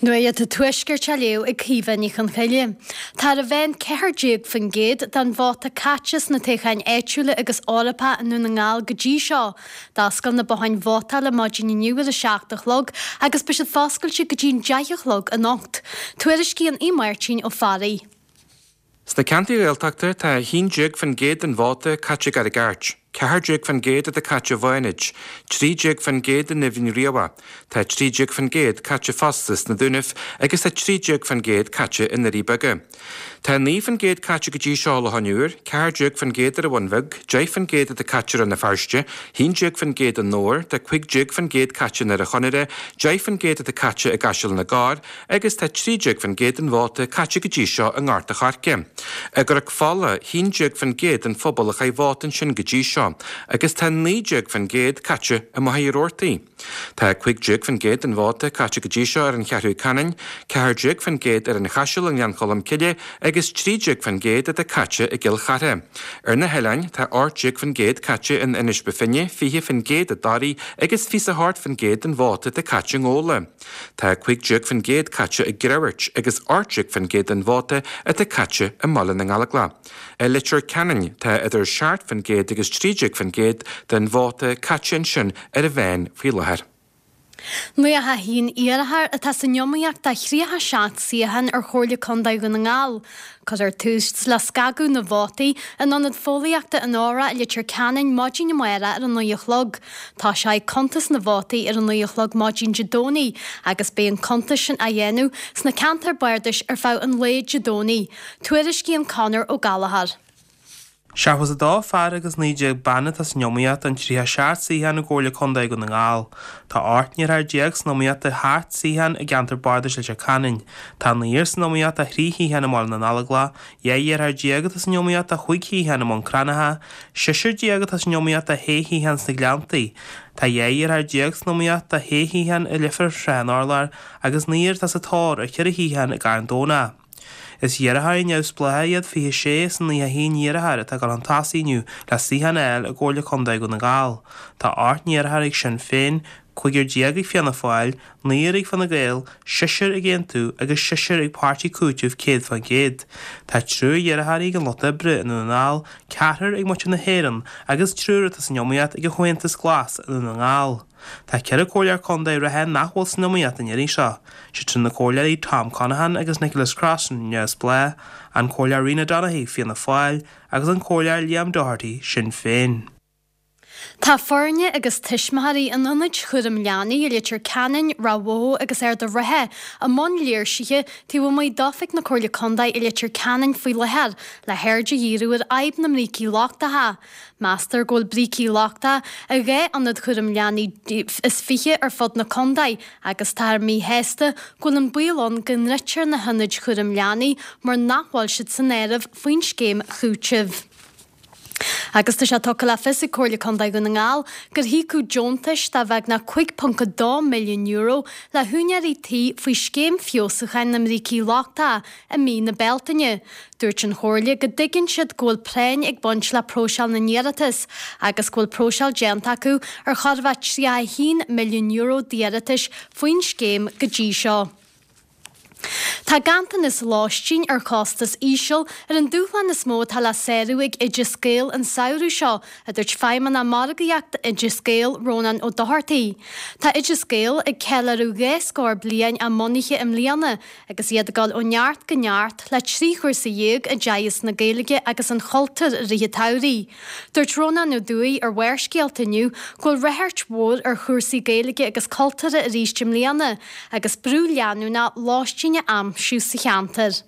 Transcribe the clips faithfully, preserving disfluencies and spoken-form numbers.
Nuacht an Tuaiscirt á léamh ag Caoimhe Ní Chonchoille. Tá ar a mheán ceathair déag faoin gcéad den vóta caite sna toghcháin áitiúla agus Eorpacha i nDún na nGall go dtí seo. D'oscail na botháin vótála maidin inniu ar a seacht a chlog agus beidh siad foscailte go dtí an deich a chlog anocht. Tuairiscíonn Aodh Máirtín Ó Fearraigh. Sna ceantair Ghaeltachta tá a haon déag faoin gcéad den vóta caite i gCarraig Airt, ceathair déag faoin gcéad atá caite i bhFánaid, trí déag faoin gcéad in Eamhain Riabhach, tá trí déag faoin gcéad caite fosta sna Dúnaibh agus tá trí déag faoin gcéad caite i nDoirí Beaga. Tá naoi faoin gcéad caite go dtí seo i Loch an Iúir, ceathair déag faoin gcéad ar an Bhun Bheag, deich faoin gcéad atá caite i Rann na Feirste, haon déag faoin gcéad i nDobhar, tá cúig déag faoin gcéad caite i nDoire Chonaire, deich faoin gcéad atá caite i gCaiseal na gCorr agus tá trí déag faoin gcéad den vóta caite go dtí seo i nGort a' Choirce. I gCnoc Fola, haon déag faoin gcéad den phobal a chaith vóta ansin go dtí seo, agus tá naoi déag faoin gcéad caite i Machaire Rabhartaigh. Tá cúig déag faoin gcéad den vóta caite go dtí seo ar an Cheathrú Ceanainn, ceathair déag faoin gcéad ar an Chaiseal i nGleann Cholm Cille agus trí déag faoin gcéad atá caite i gCill Chartha. Ar na hoileáin, tá ocht déag faoin gcéad caite in Inis Bó Finne, fiche faoin gcéad i dToraigh agus fiche a hocht faoin gcéad den vóta atá caite i nGabhla. Tá cúig déag faoin gcéad caite i gCreamhairt agus ocht déag faoin gcéad den vóta atá caite i mBaile na nGallóglach. I Leitir Ceanainn, tá idir seacht faoin gcéad agus trí déag faoin gcéad den vóta caite ansin ar a mheán faoi láthair. Nócha a haon iarrthóir atá san iomaíocht do thríocha seacht suíochán ar Chomhairle Contae Dhún na nGall. Cuirfear tús le scagadh na vótaí in Ionad Fóillíochta an Óra i Leitir Ceanainn maidin amárach ar a naoi a chlog. Tosóidh cuntas na vótaí ar a naoi a chlog maidin Dé Domhnaigh agus beidh an cuntas sin á dhéanamh sna ceantair bardais ar feadh an lae Dé Domhnaigh. Tuairiscíonn Conor Ó Gallchóir. Seachtó is a dó fear agus naoi déag bean atá san iomaíocht don tríocha seacht suíochán i gComhairle Contae Dhún na nGall. Tá ocht n-iarrthóir déag san iomaíocht do sheacht suíochán i gceantar bardais Leitir Ceanainn. Tá naonúr san iomaíocht do thrí shuíochán i mBaile na nGallóglach, dhá iarrthóir déag atá san iomaíocht do chúig shuíochán i mBun Cranncha, seisear déag atá san iomaíocht do shé shuíochán sna Gleanntaí. Tá dhá iarrthóir déag san iomaíocht do shé shuíochán i Leifear Shrath an Urláir agus naonúr atá sa tóir ar cheithre shuíochán i gCarn Domhnach. Is iarrthóirí neamhspleácha iad fiche sé as an nócha a haon iarrthóir atá ag dul chun tosaigh inniu le suíochán a fháil i gComhairle Contae Dhún na nGall. Tá ocht n-iarrthóir ag Sinn Féin, cúigear déag ag Fianna Fáil, naonúr ag Fine Gael, seisear ag Aontú agus seisear ag Páirtí Cúitimh céad faoin gcéad. Tá triúr iarrthóirí ag an Lucht Oibre i nDún na nGall, ceathrar ag Muintir na hÉireann agus triúr atá san iomaíocht ag an Chomhaontas Glas i nDún na nGall. Tá ceithre comhairleoir contae reatha nach bhfuil san iomaíocht an iarraidh seo, siad sin na comhairleoirí Tom Conaghan agus Nicholas Crossan, Neamhspleách, an Comhairleoir Rena Donaghey, Fianna Fáil, agus an Comhairleoir Liam Doherty, Sinn Féin. Tá foirne agus tuismitheoirí an Ionaid Chúraim Leanaí i Leitir Ceanainn, Ráth Bhoth agus Ard an Rátha i mbun léirsithe taobh amuigh d'oifig na Comhairle Contae i Leitir Ceanainn faoi láthair le haird a dhíriú ar fhadhb na mbrící lochtacha. Meastar go bhfuil brící lochtacha i dhá ionad chúraim leanaí is fiche ar fud na contae agus táthar míshásta go bhfuil an baol ann go ndruidfear na hionaid chúraim leanaí mar nach bhfuil siad san áireamh faoin scéim chúitimh. Agus tá sé tugtha le fios ag Comhairle Contae Dhún na nGall gur híocadh deontais de bheagnach cúig ponc a dó milliún euro le húinéirí tí faoi scéim feabhsúcháin na mbrící lochtacha i mí na Bealtaine. Dúirt an Chomhairle go dtuigeann siad go bhfuil práinn ag baint le próiseáil na n-iarratas agus go bhfuil próiseáil déanta acu ar chóir a bheith tríocha a haon milliún euro d'iarratais faoin scéim go dtí seo. Tá ganntanas lóistín ar chostas íseal ar an dúshlán is mó atá le sárú ag Oideas Gael an samhradh seo, a dúirt Feidhmeannach Margaíochta Oideas Gael, Rónán Ó Dochartaigh. Tá Oideas Gael ag ceiliúradh dhá scór bliain á mbunaithe i mbliana agus iad ag dul ó neart go neart le trí chúrsa dhéag i dteagasc na Gaeilge agus an chultúir i rith an tsamhraidh. Dúirt Rónán Ó Dúill ar Bharrscéalta inniu go bhfuil ráchairt mhór ar chúrsaí Gaeilge agus cultúrtha arís i mbliana agus brú leanúnach lóistín a aimsiú sa cheantar.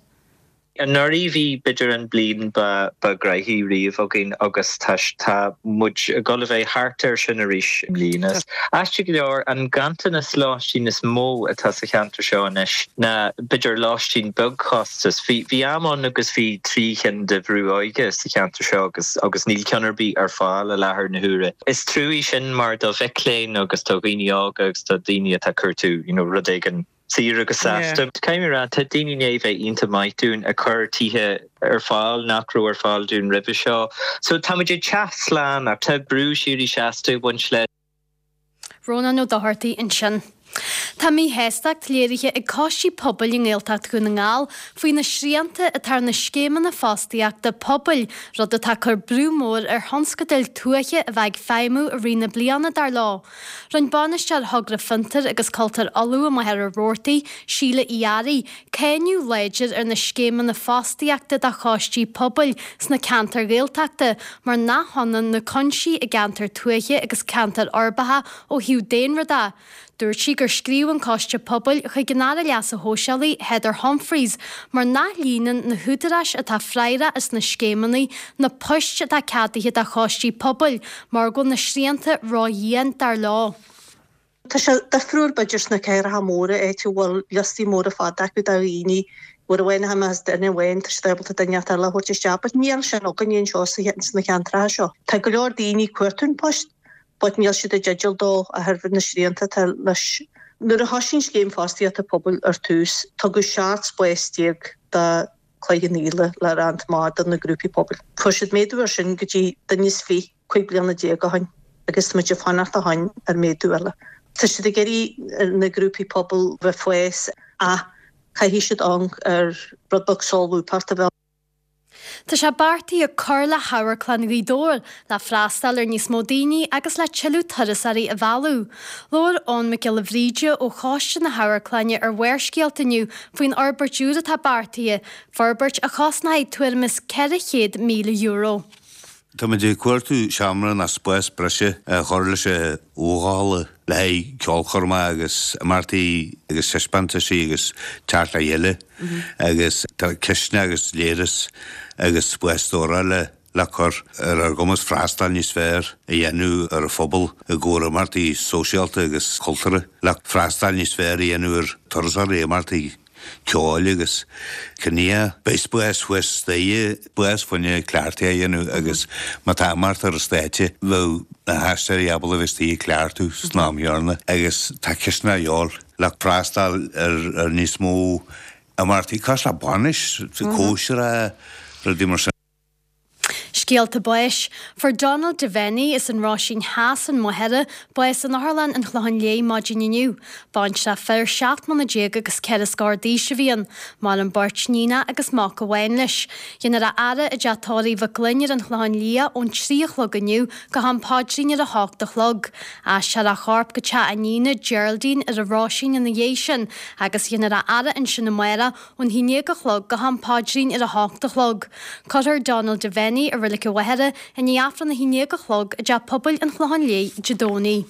Anuraidh bhí b'fhéidir an bliain ba ba ghnoithí riamh againn agus tá tá muid ag dul a bheith thart air sin arís i mbliana. Aisteach go leor, an ganntanas lóistín is mó atá sa cheantar seo anois ná b'fhéidir lóistín beagchostais. Bhí bhí am ann agus bhí trí chinn de bhrú óige sa cheantar seo agus agus níl ceann ar bith ar fáil i láthair na huaire. Is trua sin mar do mhic léinn agus do dhaoine óga agus do dhaoine atá ag cuartú you know rud éigin saor agus seasta. Caithfidh mé a rá, tá daoine i ndiaidh bheith iontach maith dúinn ag cur tithe ar fáil nach raibh ar fáil dúinn roimhe seo. So tá muid ag teacht slán ach tá brú síoraí seasta ag baint leis. Rónán Ó Dochartaigh ansin. Tá míshástacht léirithe ag coistí pobail i nGaeltacht Dhún na nGall faoi na srianta atá ar na scéimeanna fostaíochta pobail, rud atá ag cur brú mór ar thionscadail tuaithe a bheith ag feidhmiú i rith na bliana, dar leo. Rinne Bainisteoir Thogra Fiontar agus Cultúir Uladh i Machaire Rabhartaigh, Síle Uí Fhearraigh, cáineadh láidir ar na scéimeanna fostaíochta do choistí pobail sna ceantair Ghaeltachta mar nach hionann na cúinsí i gceantair tuaithe agus ceantair uirbeacha ó thaobh daonra de. Dúirt sí gur scríobh an Coiste Pobail chuig an Aire Leasa Shóisialaigh, Heather Humphreys, mar nach líonann na húdaráis atá freagrach as na scéimeanna na poist atá ceadaithe do choistí pobail mar go bhfuil na srianta ródhian, dar leo. Tá sé difriúil b'fhéidir sna cathracha móra áit a bhfuil liostaí móra fada acu de dhaoine uair amháin a tháinig duine amháin tá siad ábalta duine eile a thabhairt isteach but níl sin againne anseo sna ceantracha seo. Tá go leor daoine ag cuartú an post but níl siad i dteideal dó a thairbhe na srianta atá leis. Nuair a thosaigh an scéim fostaíochta pobail ar tús, tugadh seacht spás déag do Chloich Cheann Fhaola le roinnt maith do na grúpaí pobail. Fuair siad méadú ar sin go dtí duine is fiche cúig bliana déag ó shin agus tá muid ag fanacht ó shin ar méadú eile. Tá siad ag iarraidh na grúpaí pobail bheith fós ach caithfidh siad amharc ar rud beag solúbthacht a bheith Tá sé beartaithe cur le hAmharclann Ghaoth Dobhair le freastal ar níos mó daoine agus le tuilleadh turasóirí a mhealladh. Labhair Eoin Mac Giolla Bhríde ó Choiste na hAmharclainne ar Bharrscéalta inniu faoin fhorbairt úr atá beartaithe, forbairt a chosnóidh tuairim is ceithre chéad míle euro. Táimid ag cuartú seomra nó spás breise a chur leis an halla le haghaidh ceolchoirme agus imeachtaí agus taispeántaisí agus teacht le chéile agus tá cisne agus léireas agus spás stórála le cur ar ár gcumas freastal níos fearr a dhéanamh ar an phobal i gcomhair imeachtaí sóisialta agus cultúrtha le freastal níos fearr a dhéanamh ar turasóirí imeachtaí ceoil agus cruinnithe. Beidh spás thuas staighre, spás fá choinne cleachtaí a dhéanamh agus má tá imeacht ar an stáitse bheadh na haisteoirí ábalta a bheith istigh ag cleachtadh san am chéanna agus tá cisne a dhíobháil le freastal ar ar níos mó imeachtaí cosúil le bainis, cóisir, rudaí mar sin. Scéalta báis. Fuair Donald Devaney as an Ráisín Theas an Mhachaire bás in Otharlann an Chlocháin Léith maidin inniu. Baintreach fir seacht mbliana déag agus ceithre scór d'aois a bhí ann. Maireann beirt níonacha agus mac amháin leis. Dhéanfar a fhaire i dteach tórraimh Mhic Gloinn ar an Chlochán Liath ón trí a chlog inniu go ham paidrín ar a hocht a chlog. Aistreofar a chorp go teach a iníne, Geraldine, ar an Ráisín ina dhiaidh sin agus dhéanfar a fhaire ansin amárach ón haon déag a chlog go ham paidrín ar a hocht a chlog. Cuirfear Donald Devaney i Reilig an Mhachaire i ndiaidh Aifreann a haon déag a chlog i dTeach Pobail an Chlocháin Léith Dé Domhnaigh.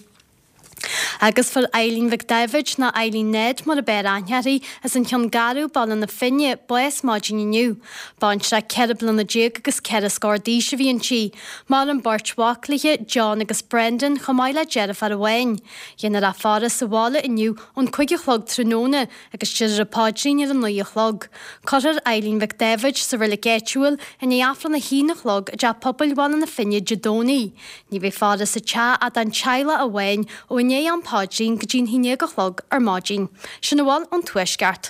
Agus fuair Eileen Mhic Daibhéid nó Eileen Ned mar ab fhearr aithne uirthi as an Cheann Garbh, Baile na Finne, bás maidin inniu. Baintreach ceithre bliana déag agus ceithre scór d'aois a bhí inti. Maireann beirt mhac léi, John agus Brendan, chomh maith le deirfiúr amháin. Dhéanfar a faire sa bhaile inniu ón cúig a chlog tráthnóna agus déarfar an paidrín ar a naoi a chlog. Cuirfear Eileen Mhic Daibhéid sa reilig áitiúil i ndiaidh Aifreann a haon a chlog i dTeach Pobail Bhaile na Finne Dé Domhnaigh. Ní bheidh faire sa teach ach don teaghlach amháin ó i ndiaidh am paidrín go dtí'n haon déag a chlog ar maidin. Sin a bhfuil ón Tuaisceart.